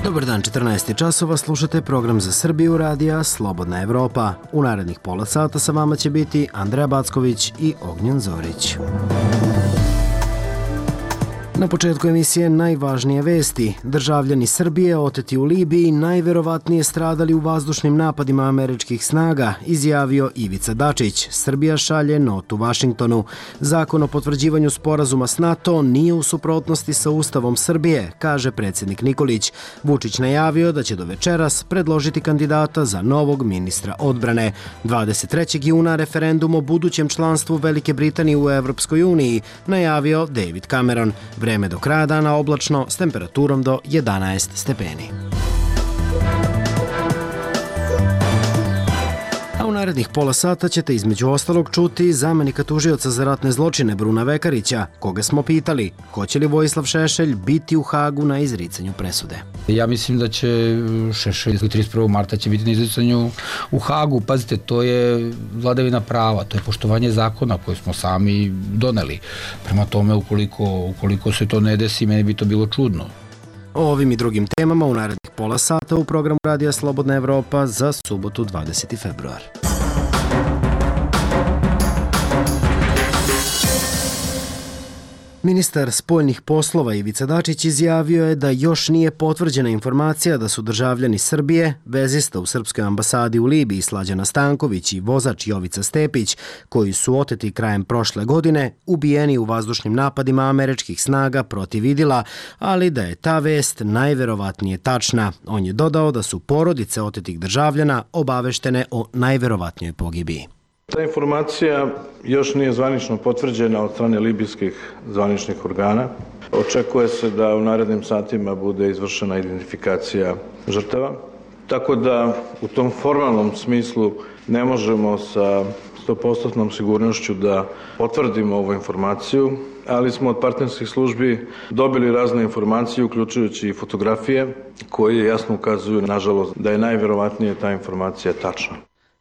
Dobar dan, 14 časova, slušate program za Srbiju radija Slobodna Evropa. U narednih pola sata sa vama će biti Andreja Backović i Ognjen Zorić. Na početku emisije najvažnije vesti. Državljani Srbije oteti u Libiji najverovatnije stradali u vazdušnim napadima američkih snaga, izjavio Ivica Dačić. Srbija šalje notu Vašingtonu. Zakon o potvrđivanju sporazuma s NATO nije u suprotnosti sa Ustavom Srbije, kaže predsjednik Nikolić. Vučić najavio da će do večeras predložiti kandidata za novog ministra odbrane. 23. juna referendum o budućem članstvu Velike Britanije u Evropskoj uniji, najavio David Cameron. Vreme do kraja dana oblačno s temperaturom do 11 stepeni. A u narednih pola sata ćete između ostalog čuti zamenika tužioca za ratne zločine Bruna Vekarića, koga smo pitali hoće li Vojislav Šešelj biti u Hagu na izricanju presude. Ja mislim da će Šešelj 31. marta će biti na izricanju u Hagu. Pazite, to je vladavina prava, to je poštovanje zakona koje smo sami doneli. Prema tome, ukoliko se to ne desi, meni bi to bilo čudno. O ovim i drugim temama u narednih pola sata u programu Radija Slobodna Evropa za subotu 20. februar. Ministar spoljnih poslova Ivica Dačić izjavio je da još nije potvrđena informacija da su državljani Srbije, vezista u Srpskoj ambasadi u Libiji Slađana Stanković i vozač Jovica Stepić, koji su oteti krajem prošle godine, ubijeni u vazdušnim napadima američkih snaga protiv Idila, ali da je ta vest najverovatnije tačna. On je dodao da su porodice otetih državljana obaveštene o najverovatnijoj pogibiji. Ta informacija još nije zvanično potvrđena od strane libijskih zvaničnih organa. Očekuje se da u narednim satima bude izvršena identifikacija žrtava. Tako da u tom formalnom smislu ne možemo sa 100% sigurnošću da potvrdimo ovu informaciju, ali smo od partnerskih službi dobili razne informacije, uključujući i fotografije, koje jasno ukazuju, nažalost, da je najverovatnije ta informacija tačna.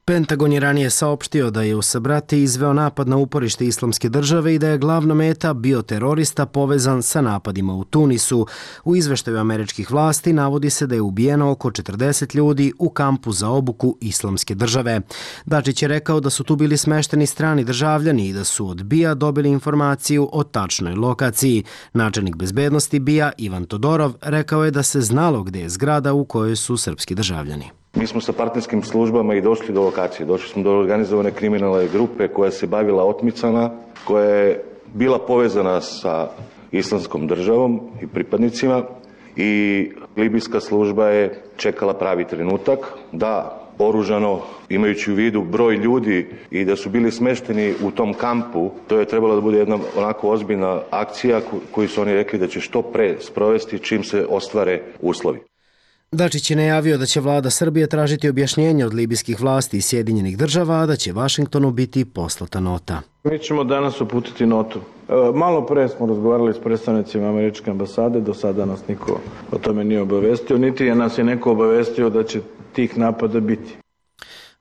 Pentagon je ranije saopštio da je u Sabrati izveo napad na uporište Islamske države i da je glavna meta bio terorista povezan sa napadima u Tunisu. U izveštaju američkih vlasti navodi se da je ubijeno oko 40 ljudi u kampu za obuku Islamske države. Dačić je rekao da su tu bili smešteni strani državljani i da su od BIA dobili informaciju o tačnoj lokaciji. Načelnik bezbednosti BIA Ivan Todorov rekao je da se znalo gde je zgrada u kojoj su srpski državljani. Mi smo sa partnerskim službama i došli do lokacije. Došli smo do organizovane kriminalne grupe koja se bavila otmicama, koja je bila povezana sa Islamskom državom i pripadnicima i libijska služba je čekala pravi trenutak da oružano, imajući u vidu broj ljudi i da su bili smešteni u tom kampu, to je trebalo da bude jedna onako ozbiljna akcija koju su oni rekli da će što pre sprovesti čim se ostvare uslovi. Dačić je najavio da će vlada Srbije tražiti objašnjenje od libijskih vlasti i Sjedinjenih država, a da će Vašingtonu biti poslata nota. Mi ćemo danas uputiti notu. Malo pre smo razgovarali s predstavnicima američke ambasade, do sada nas niko o tome nije obavestio, niti je nas je neko obavestio da će tih napada biti.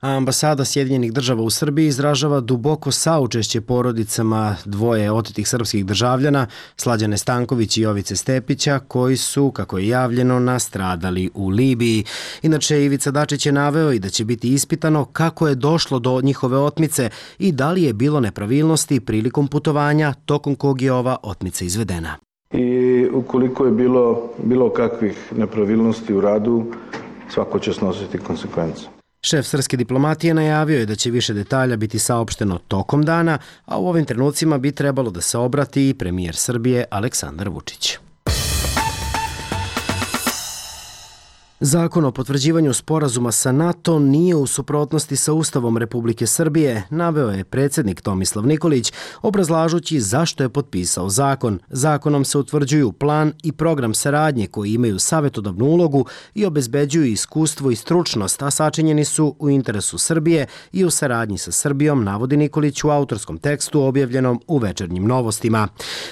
A ambasada Sjedinjenih država u Srbiji izražava duboko saučešće porodicama dvoje otetih srpskih državljana, Slađane Stanković i Jovice Stepića, koji su, kako je javljeno, nastradali u Libiji. Inače, Ivica Dačić je naveo i da će biti ispitano kako je došlo do njihove otmice i da li je bilo nepravilnosti prilikom putovanja tokom kog je ova otmica izvedena. I ukoliko je bilo kakvih nepravilnosti u radu, svako će snositi konsekvence. Šef srpske diplomatije najavio je da će više detalja biti saopšteno tokom dana, a u ovim trenucima bi trebalo da se obrati i premijer Srbije Aleksandar Vučić. Zakon o potvrđivanju sporazuma sa NATO nije u suprotnosti sa Ustavom Republike Srbije, naveo je predsjednik Tomislav Nikolić, obrazlažući zašto je potpisao zakon. Zakonom se utvrđuju plan i program saradnje koji imaju savjetodavnu ulogu i obezbeđuju iskustvo i stručnost, a sačinjeni su u interesu Srbije i u saradnji sa Srbijom, navodi Nikolić u autorskom tekstu objavljenom u Večernjim novostima.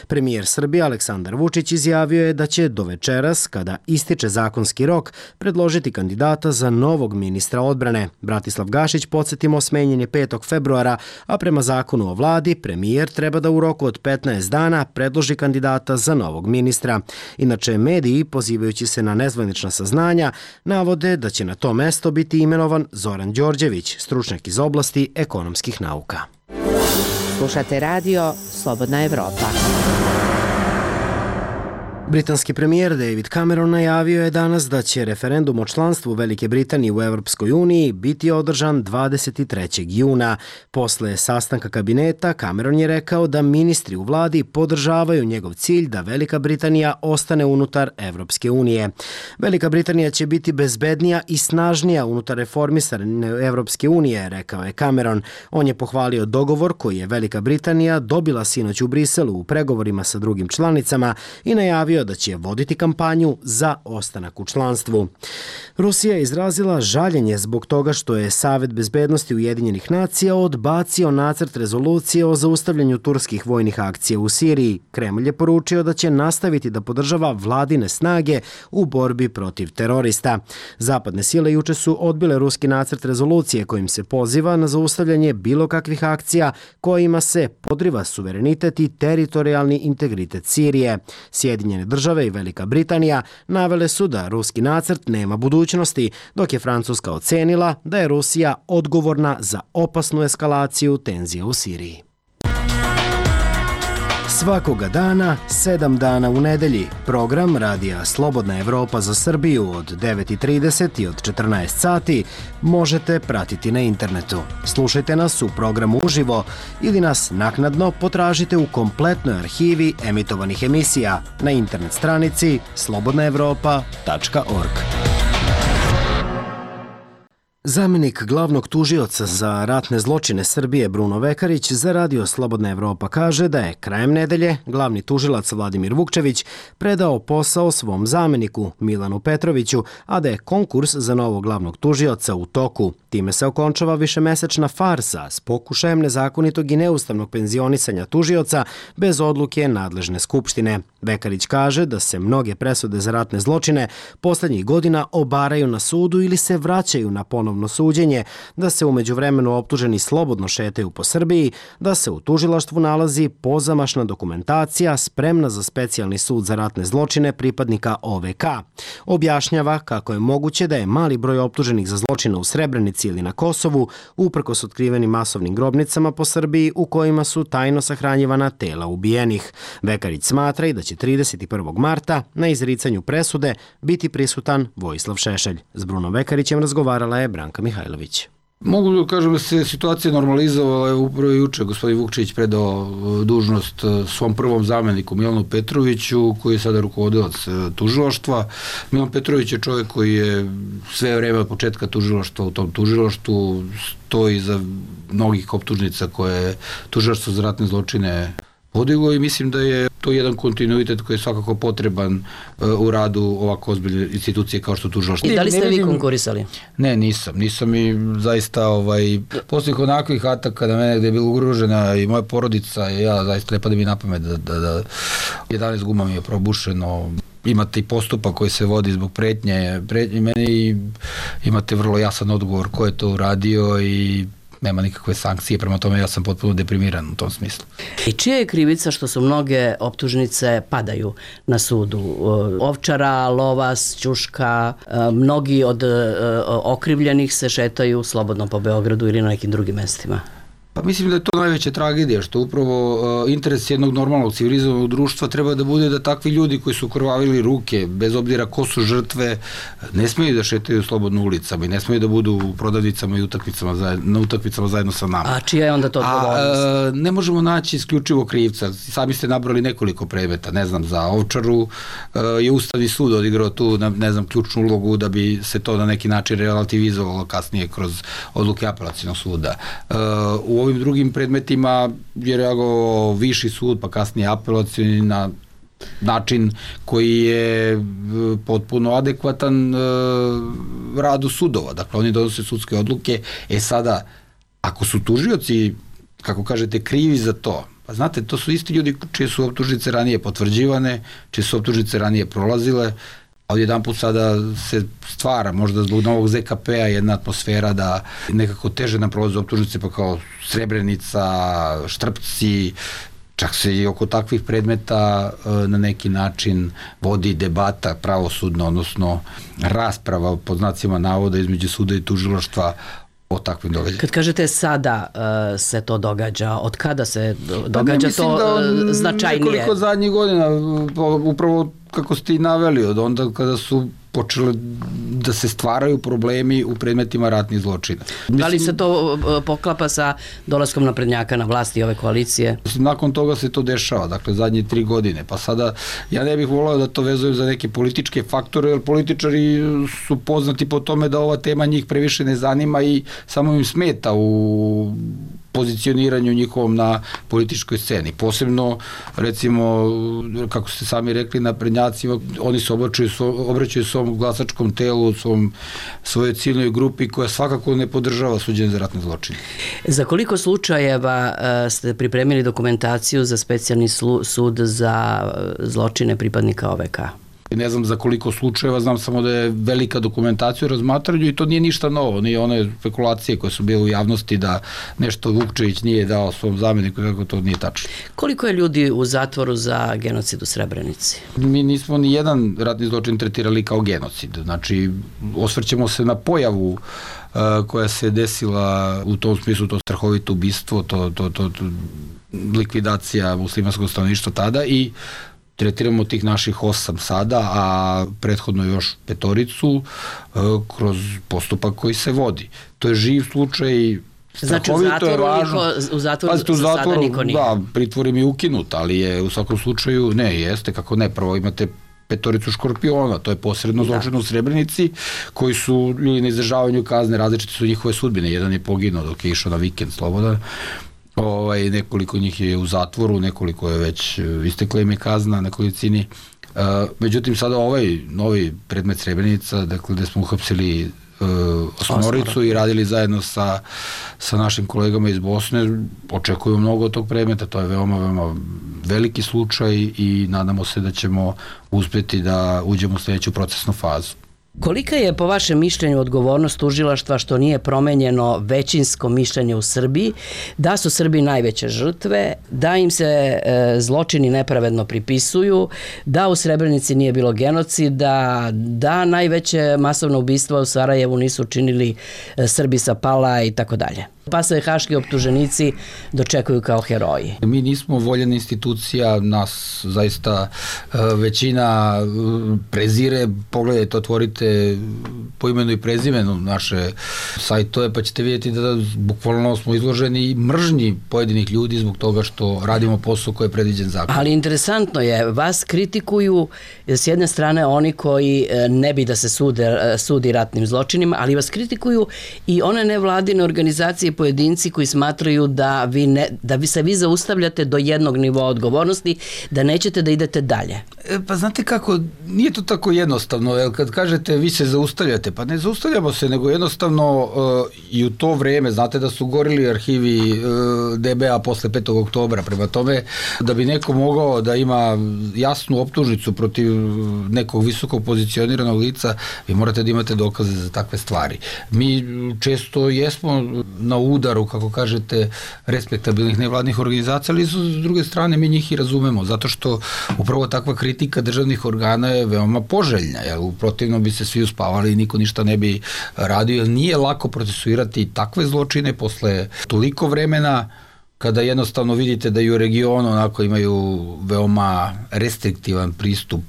Premijer Srbije Aleksandar Vučić izjavio je da će do večeras, kada ističe zakonski rok, predložiti kandidata za novog ministra odbrane. Bratislav Gašić, podsjetimo, smenjen je 5. februara, a prema zakonu o vladi, premijer treba da u roku od 15 dana predloži kandidata za novog ministra. Inače, mediji, pozivajući se na nezvanična saznanja, navode da će na to mesto biti imenovan Zoran Đorđević, stručnjak iz oblasti ekonomskih nauka. Slušate radio Slobodna Evropa. Britanski premijer David Cameron najavio je danas da će referendum o članstvu Velike Britanije u Evropskoj uniji biti održan 23. juna. Posle sastanka kabineta, Cameron je rekao da ministri u vladi podržavaju njegov cilj da Velika Britanija ostane unutar Evropske unije. Velika Britanija će biti bezbednija i snažnija unutar reformisane Evropske unije, rekao je Cameron. On je pohvalio dogovor koji je Velika Britanija dobila sinoć u Briselu u pregovorima sa drugim članicama i najavio da će voditi kampanju za ostanak u članstvu. Rusija je izrazila žaljenje zbog toga što je Savet bezbednosti Ujedinjenih nacija odbacio nacrt rezolucije o zaustavljanju turskih vojnih akcija u Siriji. Kremlj je poručio da će nastaviti da podržava vladine snage u borbi protiv terorista. Zapadne sile juče su odbile ruski nacrt rezolucije kojim se poziva na zaustavljanje bilo kakvih akcija kojima se podriva suverenitet i teritorijalni integritet Sirije. Sjedinjene države i Velika Britanija navele su da ruski nacrt nema budućnosti, dok je Francuska ocenila da je Rusija odgovorna za opasnu eskalaciju tenzija u Siriji. Svakoga dana, 7 dana u nedelji, program Radija Slobodna Evropa za Srbiju od 9:30 i od 14 sati možete pratiti na internetu. Slušajte nas u programu uživo ili nas naknadno potražite u kompletnoj arhivi emitovanih emisija na internet stranici slobodnaevropa.org. Zamenik glavnog tužioca za ratne zločine Srbije Bruno Vekarić za Radio Slobodna Evropa kaže da je krajem nedelje glavni tužilac Vladimir Vukčević predao posao svom zameniku Milanu Petroviću, a da je konkurs za novog glavnog tužioca u toku. Time se okončava višemesečna farsa s pokušajem nezakonitog i neustavnog penzionisanja tužioca bez odluke nadležne skupštine. Vekarić kaže da se mnoge presude za ratne zločine poslednjih godina obaraju na sudu ili se vraćaju na ponovno suđenje, da se u međuvremenu optuženi slobodno šetaju po Srbiji, da se u tužilaštvu nalazi pozamašna dokumentacija spremna za specijalni sud za ratne zločine pripadnika OVK. Objašnjava kako je moguće da je mali broj optuženih za zločine u Srebrenici ili na Kosovu, uprkos otkrivenim masovnim grobnicama po Srbiji u kojima su tajno sahranjivana tela ubijenih. Vekarić smatra i da će 31. marta na izricanju presude biti prisutan Vojislav Šešelj. S Brunom Vekarićem razgovarala je Branka Mihajlović. Mogu da kažem da se situacija normalizovala. Upravo juče gospodin Vukčević predao dužnost svom prvom zameniku Milanu Petroviću, koji je sada rukovodilac tužilaštva. Milan Petrović je čovjek koji je sve vreme od početka tužilaštva u tom tužilaštvu, stoji za mnogih optužnica koje je tužilaštvo za ratne zločine podiglo i mislim da je to jedan kontinuitet koji je svakako potreban u radu ovako ozbiljne institucije kao što tužilaštvo. I da li ste vi konkurisali? Ne, nisam i zaista poslih onakvih ataka na mene gde je bila ugrožena i moja porodica i ja zaista ne pada mi na pamet da 11 guma mi je probušeno. Imate i postupak koji se vodi zbog pretnje meni i imate vrlo jasan odgovor ko je to uradio i nema nikakve sankcije, prema tome ja sam potpuno deprimiran u tom smislu. I čija je krivica što su mnoge optužnice padaju na sudu? Ovčara, Lovas, Ćuška, mnogi od okrivljenih se šetaju slobodno po Beogradu ili na nekim drugim mestima. Pa mislim da je to najveća tragedija, što upravo interes jednog normalnog civilizovanog društva treba da bude da takvi ljudi koji su krvavili ruke, bez obzira ko su žrtve, ne smeju da šetaju slobodno ulicama i ne smeju da budu u prodavnicama i na utakmicama zajedno sa nama. A čija je onda to odgovornost? Ne možemo naći isključivo krivca. Sami ste nabrali nekoliko predmeta, ne znam, za Ovčaru je Ustavni sud odigrao tu, ne znam, ključnu ulogu da bi se to na neki način relativizovalo kasnije kroz odluke apelacionog suda. U ovim drugim predmetima je reagovao viši sud, pa kasnije apelacioni na način koji je potpuno adekvatan radu sudova. Dakle, oni donose sudske odluke. Sada, ako su tužioci, kako kažete, krivi za to, pa znate, to su isti ljudi čije su optužnice ranije potvrđivane, čije su optužnice ranije prolazile, a odjedan put sada se stvara, možda zbog novog ZKP-a, jedna atmosfera da nekako teže nam prolaze optužnice, pa kao Srebrenica, Štrpci, čak se i oko takvih predmeta na neki način vodi debata pravosudna, odnosno rasprava pod znacima navoda između suda i tužilaštva o takvim događajima. Kad kažete sada se to događa, od kada se događa to značajnije? Nekoliko zadnjih godina, upravo kako ste i naveli, od onda kada su počele da se stvaraju problemi u predmetima ratnih zločina. Da li se to poklapa sa dolaskom naprednjaka na vlasti ove koalicije? Nakon toga se to dešava, dakle zadnje 3 godine, pa sada ja ne bih volao da to vezujem za neke političke faktore, jer političari su poznati po tome da ova tema njih previše ne zanima i samo im smeta u pozicioniranju njihovom na političkoj sceni. Posebno, recimo, kako ste sami rekli, naprednjacima, oni se obraćaju svom glasačkom telu, svojoj ciljnoj grupi koja svakako ne podržava suđenje za ratne zločine. Za koliko slučajeva ste pripremili dokumentaciju za specijalni sud za zločine pripadnika OVK? Ne znam za koliko slučajeva, znam samo da je velika dokumentacija u razmatranju i to nije ništa novo, nije one spekulacije koje su bile u javnosti da nešto Vukčević nije dao svom zameniku, kako to nije tačno. Koliko je ljudi u zatvoru za genocid u Srebrenici? Mi nismo ni jedan ratni zločin tretirali kao genocid, znači osvrćemo se na pojavu koja se desila u tom smislu, to strahovito ubistvo, to likvidacija muslimanskog stanovništva tada i tretiramo tih naših 8 sada, a prethodno još 5 kroz postupak koji se vodi. To je živ slučaj, strahovito je važno. Znači u zatvoru za sada niko nije? Da, pritvor im je ukinut, ali je u svakom slučaju, ne, jeste, kako ne, prvo imate 5 škorpiona, to je posredno zločin u Srebrenici, koji su ljudi na izdržavanju kazne, različite su njihove sudbine, jedan je poginuo dok je išao na vikend slobodan, nekoliko njih je u zatvoru, nekoliko je već istekla im je kazna, nekolicini. Međutim, sada ovaj novi predmet Srebrenica, dakle, gde smo uhapsili 8 i radili zajedno sa našim kolegama iz Bosne, očekuju mnogo od tog predmeta, to je veoma, veoma veliki slučaj i nadamo se da ćemo uspjeti da uđemo u sljedeću procesnu fazu. Kolika je po vašem mišljenju odgovornost tužilaštva što nije promenjeno većinsko mišljenje u Srbiji, da su Srbi najveće žrtve, da im se zločini nepravedno pripisuju, da u Srebrenici nije bilo genocida, da najveće masovno ubistva u Sarajevu nisu učinili Srbi sa Pala i tako dalje? Pa se haški optuženici dočekuju kao heroji. Mi nismo voljena institucija, nas zaista većina prezire, pogledajte, otvorite po imenu i prezimenu naše sajtove, pa ćete vidjeti da bukvalno smo izloženi mržnji pojedinih ljudi zbog toga što radimo posao koji je predviđen zakon. Ali interesantno je, vas kritikuju s jedne strane oni koji ne bi da se sudi ratnim zločinima, ali vas kritikuju i one nevladine organizacije, pojedinci koji smatraju da se vi zaustavljate do jednog nivoa odgovornosti, da nećete da idete dalje. Pa znate kako, nije to tako jednostavno, jer kad kažete vi se zaustavljate, pa ne zaustavljamo se, nego jednostavno i u to vreme, znate da su gorili arhivi DBA posle 5. oktobra, prema tome da bi neko mogao da ima jasnu optužnicu protiv nekog visoko pozicioniranog lica, vi morate da imate dokaze za takve stvari. Mi često jesmo na udaru, kako kažete, respektabilnih nevladnih organizacija, ali s druge strane mi njih i razumemo, zato što upravo takva kritika državnih organa je veoma poželjna, jer u protivnom bi se svi uspavali i niko ništa ne bi radio, jer nije lako procesuirati takve zločine posle toliko vremena, kada jednostavno vidite da i u regionu onako imaju veoma restriktivan pristup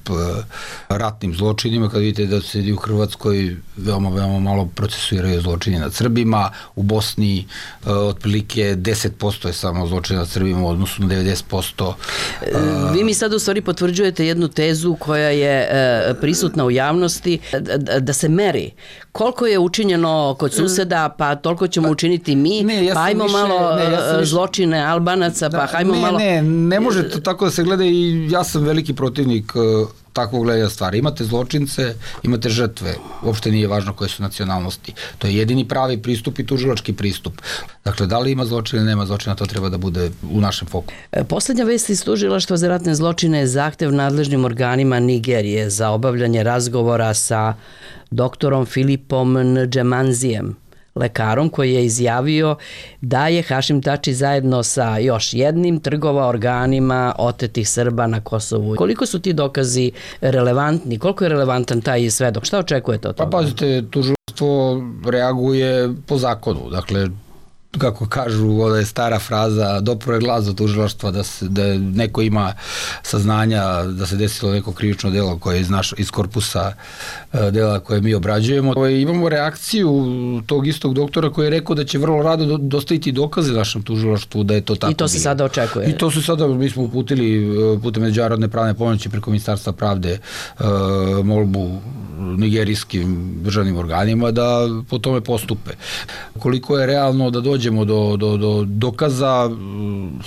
ratnim zločinima, kada vidite da se i u Hrvatskoj veoma, veoma malo procesuiraju zločini nad Srbima, u Bosni otprilike 10% je samo zločina nad Srbima u odnosu na 90%. Vi mi sad u stvari potvrđujete jednu tezu koja je prisutna u javnosti, da se meri koliko je učinjeno kod suseda, pa toliko ćemo učiniti mi, pa ajmo malo zločine Albanaca, pa hajmo malo... Ne može to tako da se gleda i ja sam veliki protivnik takvog gledanja stvari. Imate zločince, imate žrtve, uopšte nije važno koje su nacionalnosti. To je jedini pravi pristup i tužilački pristup. Dakle, da li ima zločina ili nema zločina, to treba da bude u našem foku. Poslednja vest iz Tužilaštva za ratne zločine je zahtev nadležnim organima Nigerije za obavljanje razgovora sa doktorom Filipom Ndžemanzijem, lekarom koji je izjavio da je Hašim Tači zajedno sa još jednim trgovao organima otetih Srba na Kosovu. Koliko su ti dokazi relevantni? Koliko je relevantan taj svedok? Šta očekujete od toga? Pa pazite, tužilaštvo reaguje po zakonu. Dakle, kako kažu, ona je stara fraza, dopro je glas do tužilaštva da neko ima saznanja da se desilo neko krivično delo koje je iz korpusa dela koje mi obrađujemo. Imamo reakciju tog istog doktora koji je rekao da će vrlo rado dostaviti dokaze našem tužilaštvu da je to tako. I to se sada očekuje? I to se sada, mi smo uputili putem međunarodne pravne pomoći preko Ministarstva pravde molbu nigerijskim državnim organima da po tome postupe. Koliko je realno da dođemo do dokaza,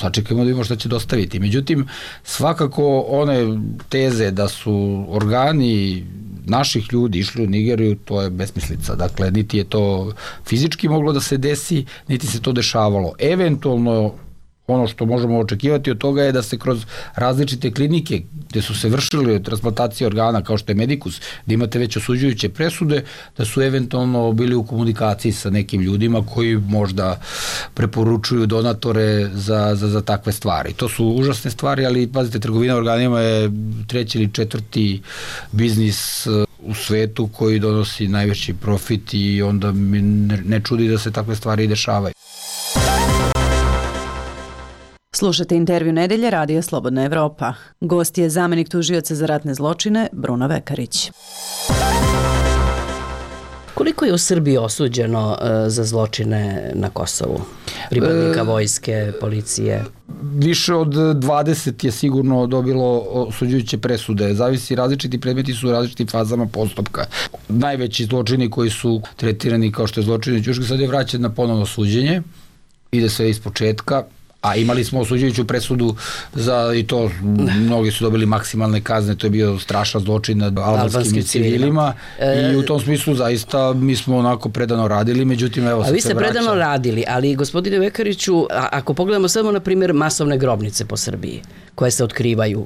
sačekajmo da vidimo šta će dostaviti. Međutim, svakako one teze da su organi naših ljudi išli u Nigeriju, to je besmislica. Dakle, niti je to fizički moglo da se desi, niti se to dešavalo. Eventualno, ono što možemo očekivati od toga je da se kroz različite klinike gde su se vršile transplantacije organa kao što je Medikus, da imate već osuđujuće presude, da su eventualno bili u komunikaciji sa nekim ljudima koji možda preporučuju donatore za takve stvari. To su užasne stvari, ali pazite, trgovina organima je 3. ili 4. biznis u svetu koji donosi najveći profit i onda mi ne čudi da se takve stvari dešavaju. Slušate intervju nedelje Radija Slobodna Evropa. Gost je zamenik tužioca za ratne zločine Bruno Vekarić. Koliko je u Srbiji osuđeno za zločine na Kosovu? Pripadnika vojske, policije? Više od 20 je sigurno dobilo osuđujuće presude. Zavisi, različiti predmeti su u različitim fazama postupka. Najveći zločini koji su tretirani kao što je zločini Ćuške sad je vraćen na ponovno suđenje. Ide sve iz početka. A imali smo osuđujuću presudu i to mnogi su dobili maksimalne kazne, to je bio strašan zločin nad albanskim civilima i u tom smislu zaista mi smo onako predano radili, međutim evo sad se vraća. A vi ste predano radili, ali gospodine Vekariću, ako pogledamo samo na primjer masovne grobnice po Srbiji koje se otkrivaju,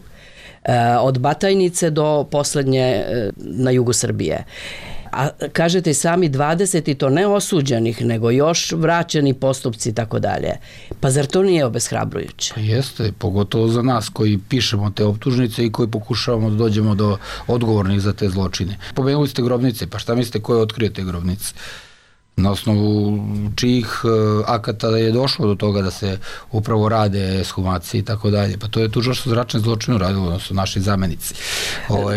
od Batajnice do poslednje na jugu Srbije, a kažete i sami 20 i to ne osuđenih, nego još vraćeni postupci i tako dalje. Pa zar to nije obeshrabrujuće? Pa jeste, pogotovo za nas koji pišemo te optužnice i koji pokušavamo da dođemo do odgovornih za te zločine. Pomenuli ste grobnice, pa šta mislite ko je otkrio te grobnice? Na osnovu čijih akata je došlo do toga da se upravo rade ekshumacije i tako dalje. Pa to je tužilaštvo za ratne zločine uradilo, odnosno naši zamenici.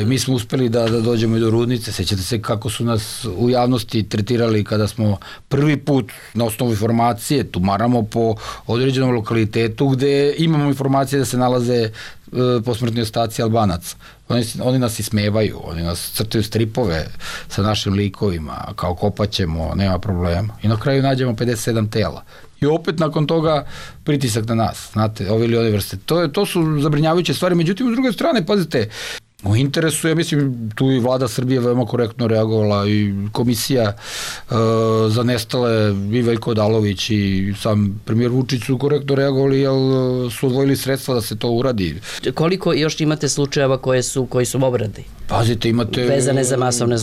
Mi smo uspeli da dođemo i do Rudnice. Sećate se kako su nas u javnosti tretirali kada smo prvi put na osnovu informacije tumaramo po određenom lokalitetu gde imamo informacije da se nalaze posmrtni ostaci Albanaca. Oni nas ismevaju, oni nas crtaju stripove sa našim likovima, kao kopaćemo, nema problema. I na kraju nađemo 57 tela. I opet nakon toga pritisak na nas, znate, ove ili one vrste. To su zabrinjavajuće stvari, međutim, s druge strane, pazite, u interesu, ja mislim, tu i vlada Srbije veoma korektno reagovala i komisija za nestale, i Veljko Odalović i sam premijer Vučić su korektno reagovali, jer su odvojili sredstva da se to uradi. Koliko još imate slučajeva koji su obradi? Pazite, imate... Vezane za masovne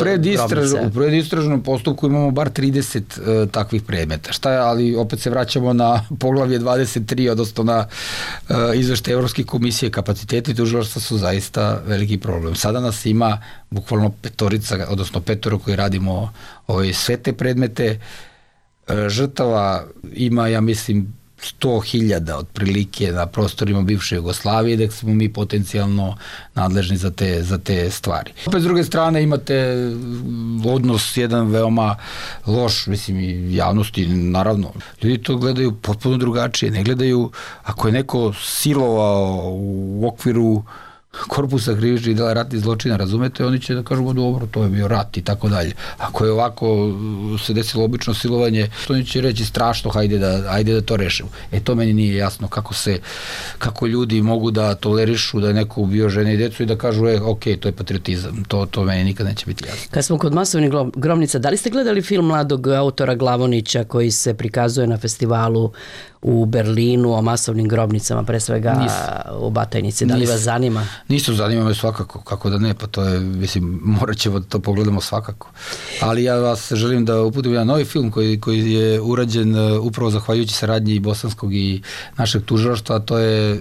grobnice. U predistražnom postupku imamo bar 30 takvih predmeta. Šta je, ali opet se vraćamo na poglavlje 23, odnosno na izveštaj Evropske komisije. Kapaciteti tužilaštva su zaista veliki problem. Sada nas ima bukvalno petorica, odnosno petoro koji radimo sve te predmete. Žrtava ima, ja mislim, 100.000 otprilike na prostorima bivše Jugoslavije, da smo mi potencijalno nadležni za te stvari. Opet s druge strane imate odnos jedan veoma loš, mislim, i javnosti, naravno. Ljudi to gledaju potpuno drugačije, ne gledaju ako je neko silovao u okviru korpusa krivičnih dela ratnih zločina, razumete, oni će da kažu dobro, to je bio rat i tako dalje. Ako je ovako se desilo obično silovanje, oni će reći strašno, hajde da to rešimo. To meni nije jasno kako ljudi mogu da tolerišu da je neko ubio žene i decu i da kažu ok, to je patriotizam. To meni nikad neće biti jasno. Kad smo kod masovnih grobnica, da li ste gledali film mladog autora Glavonića koji se prikazuje na festivalu u Berlinu o masovnim grobnicama, pre svega u Batajnici? Da li vas zanima? Nisu, zanima me svakako, kako da ne, pa to je, mislim, morat ćemo da to pogledamo svakako. Ali ja vas želim da uputim jedan novi film koji je urađen upravo zahvaljujući saradnji i bosanskog i našeg tužilaštva, a to je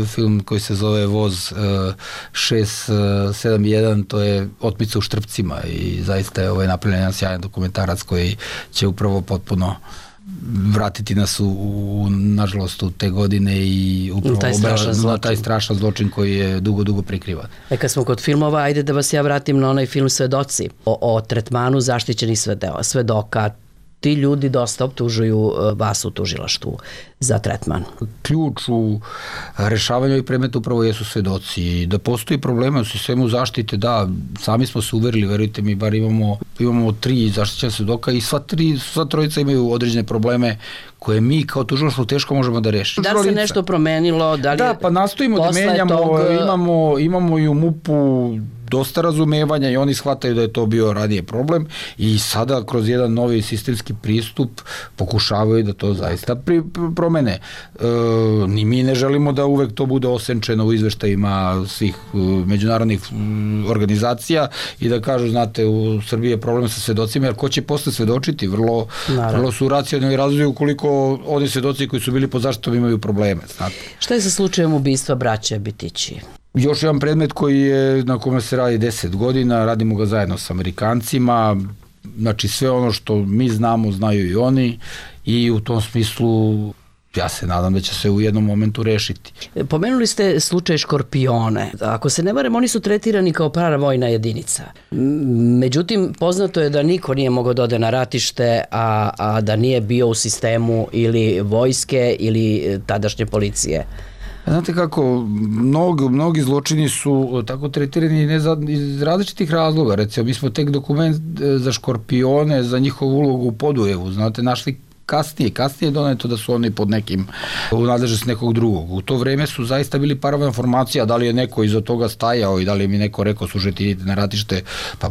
film koji se zove Voz 671, to je Otmica u Štrpcima i zaista je napravljen jedan sjajan dokumentarac koji će upravo potpuno vratiti nas nažalost u te godine i upravo taj strašan zločin koji je dugo prikrivan. Kad smo kod filmova, ajde da vas ja vratim na onaj film Svedoci o tretmanu zaštićenih svedoka. Ti ljudi dosta optužuju vas u tužilaštvu za tretman. Ključ u rešavanju ovih predmeta upravo jesu svedoci. Da postoji problema u sistemu zaštite, da, sami smo se uverili, verujte mi, bar imamo 3 zaštićena svedoka i sva trojica imaju određene probleme koje mi kao tužilaštvo teško možemo da rešimo. Da li se nešto promenilo? Da, pa nastojimo da menjamo, imamo i u MUP-u dosta razumevanja i oni shvataju da je to bio ranije problem i sada kroz jedan novi sistemski pristup pokušavaju da to zaista promene. Ni mi ne želimo da uvek to bude osenčeno u izveštajima svih međunarodnih organizacija i da kažu, znate, u Srbiji je problem sa svedocima, jer ko će posle svedočiti? Vrlo su racionalni razvoji ukoliko oni svedoci koji su bili pod zaštitom imaju probleme. Znate. Šta je sa slučajem ubistva braće Bitići? Još jedan predmet na kome se radi 10 godina, radimo ga zajedno s Amerikancima, znači sve ono što mi znamo, znaju i oni i u tom smislu ja se nadam da će se u jednom momentu rešiti. Pomenuli ste slučaj Škorpione. Ako se ne varam, oni su tretirani kao paravojna jedinica. Međutim, poznato je da niko nije mogao da ode na ratište, a da nije bio u sistemu ili vojske ili tadašnje policije. Znate kako, mnogi zločini su tako tretirani iz različitih razloga. Recimo, mi smo tek dokument za Škorpione, za njihovu ulogu u Podujevu, znate, našli kasnije je doneto da su oni pod nekim u nadležnosti nekog drugog. U to vreme su zaista bili paravojna formacija, da li je neko iza toga stajao i da li je mi neko rekao slušajte, idite na ratište, pa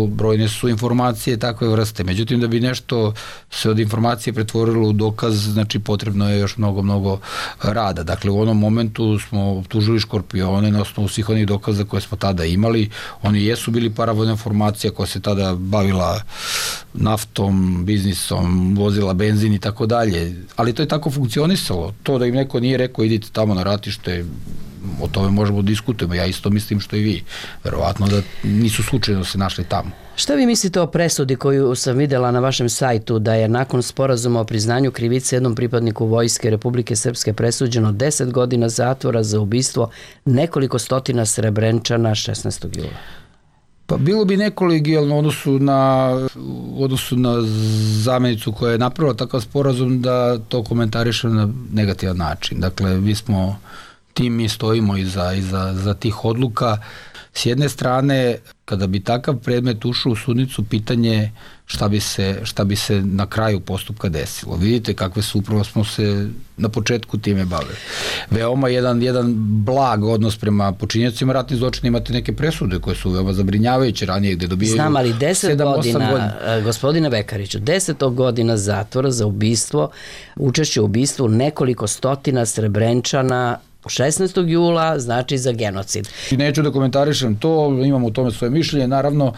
brojne su informacije takve vrste. Međutim, da bi nešto se od informacije pretvorilo u dokaz, znači potrebno je još mnogo rada. Dakle, u onom momentu smo optužili Škorpione na osnovu svih onih dokaza koje smo tada imali. Oni jesu bili paravojna formacija koja se tada bavila naftom, biznisom, vozila benzin i tako dalje, ali to je tako funkcionisalo. To da im neko nije rekao idite tamo na ratište, o tome možemo diskutujemo, ja isto mislim što i vi. Verovatno da nisu slučajno se našli tamo. Šta vi mislite o presudi koju sam videla na vašem sajtu, da je nakon sporazuma o priznanju krivice jednom pripadniku Vojske Republike Srpske presuđeno 10 godina zatvora za ubistvo nekoliko stotina Srebrenčana 16. jula? Pa bilo bi nekolegijalno u odnosu na zamenicu koja je napravila takav sporazum da to komentariše na negativan način. Dakle, mi stojimo iza tih odluka. S jedne strane, kada bi takav predmet ušao u sudnicu, pitanje šta bi se na kraju postupka desilo. Vidite kakve su, upravo smo se na početku time bavili. Veoma jedan blag odnos prema počinjacima ratnih zločina, imate neke presude koje su veoma zabrinjavajuće ranije gde dobijaju 7-8 godina. Znam, ali 10 godina, gospodine Vekariću, 10 godina zatvora za ubistvo, učešće u ubistvu nekoliko stotina Srebrenčana 16. jula, znači za genocid. Neću da komentarišem to, imam u tome svoje mišljenje, naravno,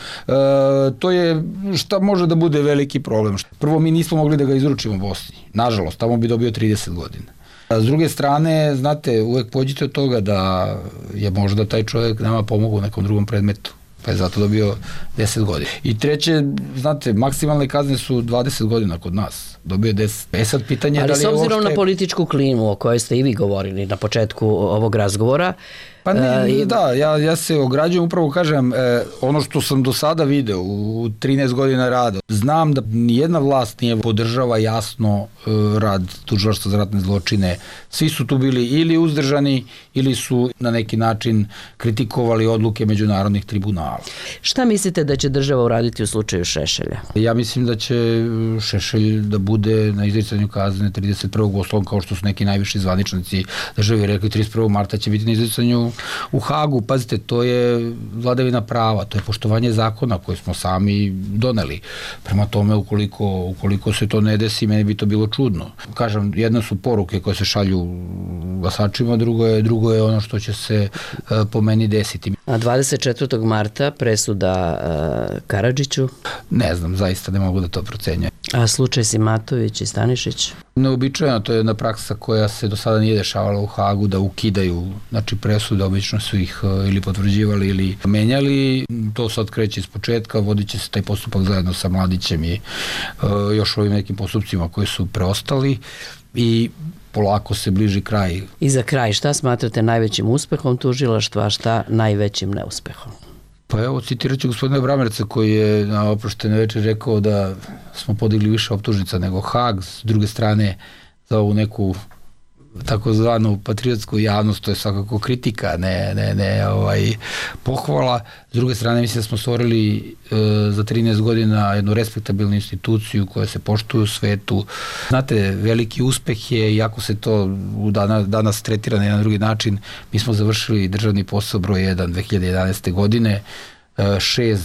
to je šta može da bude veliki problem. Prvo, mi nismo mogli da ga izručimo Bosni, nažalost, tamo bi dobio 30 godina. S druge strane, znate, uvek pođite od toga da je možda taj čovjek nama pomogao u nekom drugom predmetu, pa je zato dobio 10 godina. I treće, znate, maksimalne kazne su 20 godina kod nas. Dobio 10. Sad pitanje ali da li je s obzirom na političku klimu o kojoj ste i vi govorili na početku ovog razgovora, Pa ne, da, ja se ograđujem, upravo kažem, ono što sam do sada video u 13 godina rada, znam da nijedna vlast nije podržava jasno rad Tužilaštva za ratne zločine. Svi su tu bili ili uzdržani ili su na neki način kritikovali odluke međunarodnih tribunala. Šta mislite da će država uraditi u slučaju Šešelja? Ja mislim da će Šešelj da bude na izricanju kazne 31. oslovom, kao što su neki najviši zvaničnici države rekli, 31. marta će biti na izricanju u Hagu. Pazite, to je vladavina prava, to je poštovanje zakona koje smo sami doneli. Prema tome, ukoliko se to ne desi, meni bi to bilo čudno. Kažem, jedno su poruke koje se šalju glasačima, drugo je ono što će se po meni desiti. A 24. marta presuda Karadžiću? Ne znam, zaista ne mogu da to procenjujem. A slučaj Simatović i Stanišić? Neobičajno, to je jedna praksa koja se do sada nije dešavala u Hagu, da ukidaju, znači presude, obično su ih ili potvrđivali ili menjali. To sad kreće iz početka, vodit će se taj postupak zajedno sa Mladićem i još ovim nekim postupcima koji su preostali i polako se bliži kraj. I za kraj, šta smatrate najvećim uspehom tužilaštva, a šta najvećim neuspehom? Pa evo, citirat ću gospodina Bramerca koji je na oproštene večer rekao da smo podigli više optužnica nego Hag. S druge strane, za ovu neku takozvanu patriotsku javnost, to je svakako kritika, ne pohvala. S druge strane, mislim da smo stvorili za 13 godina jednu respektabilnu instituciju koja se poštuje u svetu. Znate, veliki uspeh je, iako se to danas tretira na jedan drugi način, mi smo završili državni posao broj 1 2011. godine, 6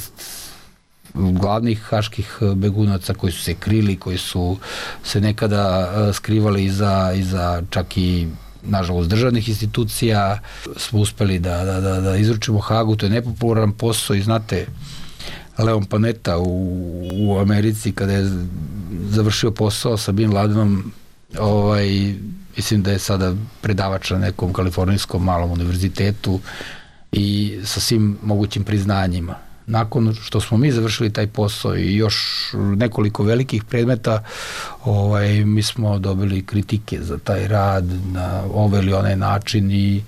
glavnih haških begunaca koji su se krili, koji su se nekada skrivali iza čak i nažalost državnih institucija, smo uspeli da izručimo Hagu. To je nepopularan posao i znate, Leon Panetta u Americi kada je završio posao sa Bin Ladenom, mislim da je sada predavač na nekom kalifornijskom malom univerzitetu i sa svim mogućim priznanjima. Nakon što smo mi završili taj posao i još nekoliko velikih predmeta, mi smo dobili kritike za taj rad na ovaj ili onaj način i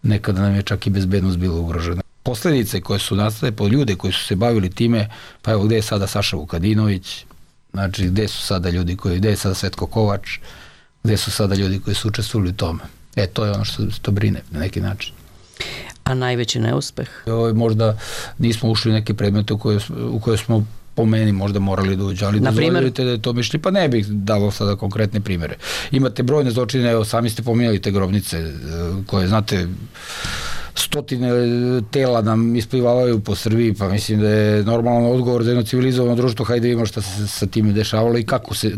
nekada nam je čak i bezbednost bila ugrožena. Posledice koje su nastale po ljude koji su se bavili time, pa evo gde je sada Saša Vukadinović, znači gde su sada ljudi gde je sada Svetko Kovač, gde su sada ljudi koji su učestvovali u tome. To je ono što to brine na neki način. A najveći neuspeh? Možda nismo ušli u neke predmete u koje smo po meni možda morali da uđe, ali dozvoljujete da je to mišli, pa ne bih dalo sada konkretne primere. Imate brojne zločine, evo sami ste pominjali te grobnice koje, znate, stotine tela nam isplivavaju po Srbiji, pa mislim da je normalan odgovor za jedno civilizovano društvo, hajde vidimo šta se sa time dešavalo i kako je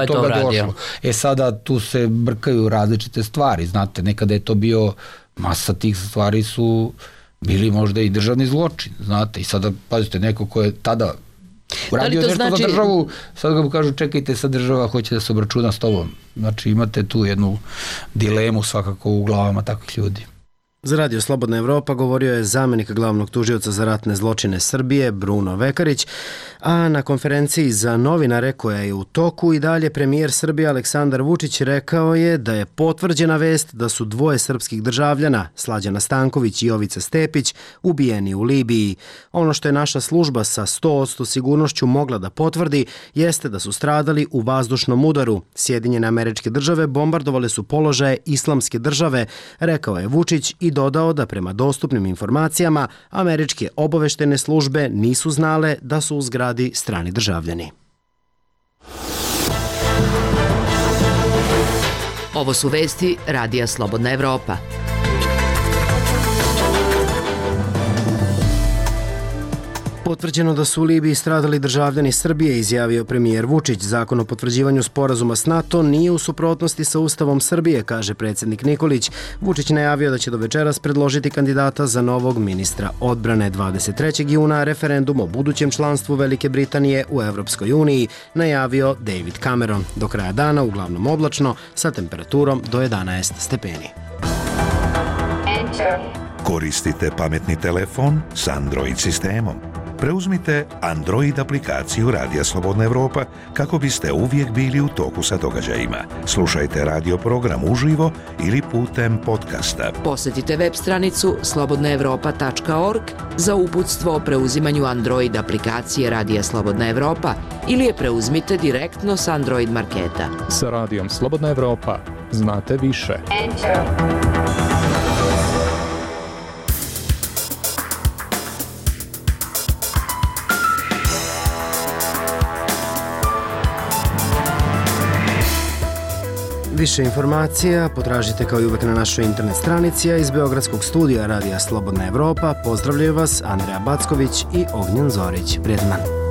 do toga došlo. Sada tu se brkaju različite stvari, znate, nekada je to bio, masa tih stvari su bili možda i državni zločin, znate, i sada, pazite, neko ko je tada uradio nešto za državu, sad ga mu kažu čekajte, sad država hoće da se obračuna s tobom. Znači imate tu jednu dilemu svakako u glavama takvih ljudi. Za Radio Slobodna Evropa govorio je zamenik glavnog tužioca za ratne zločine Srbije Bruno Vekarić, a na konferenciji za novinare koja je u toku i dalje premijer Srbije Aleksandar Vučić rekao je da je potvrđena vest da su dvoje srpskih državljana, Slađana Stanković i Jovica Stepić, ubijeni u Libiji. Ono što je naša služba sa 100% sigurnošću mogla da potvrdi jeste da su stradali u vazdušnom udaru. Sjedinjene Američke Države bombardovale su položaje Islamske države, rekao je Vučić i dodao da prema dostupnim informacijama američke obaveštene službe nisu znale da su u zgradi strani državljani. Ovo su vesti Radija Slobodna Evropa. Potvrđeno da su u Libiji stradali državljani Srbije, izjavio premijer Vučić. Zakon o potvrđivanju sporazuma s NATO nije u suprotnosti sa Ustavom Srbije, kaže predsjednik Nikolić. Vučić najavio da će do večeras predložiti kandidata za novog ministra odbrane. 23. juna referendum o budućem članstvu Velike Britanije u Evropskoj uniji najavio David Cameron. Do kraja dana uglavnom oblačno sa temperaturom do 11 stepeni. Koristite pametni telefon s Android sistemom. Preuzmite Android aplikaciju Radija Slobodna Evropa kako biste uvijek bili u toku sa događajima. Slušajte radio program uživo ili putem podcasta. Posjetite web stranicu slobodnaevropa.org za uputstvo o preuzimanju Android aplikacije Radija Slobodna Evropa ili je preuzmite direktno s Android marketa. Sa Radijom Slobodna Evropa znate više. Više informacija potražite kao i uvek na našoj internet stranici, a iz Beogradskog studija Radija Slobodna Evropa pozdravljaju vas Andreja Backović i Ognjen Zorić. Prijetan dan.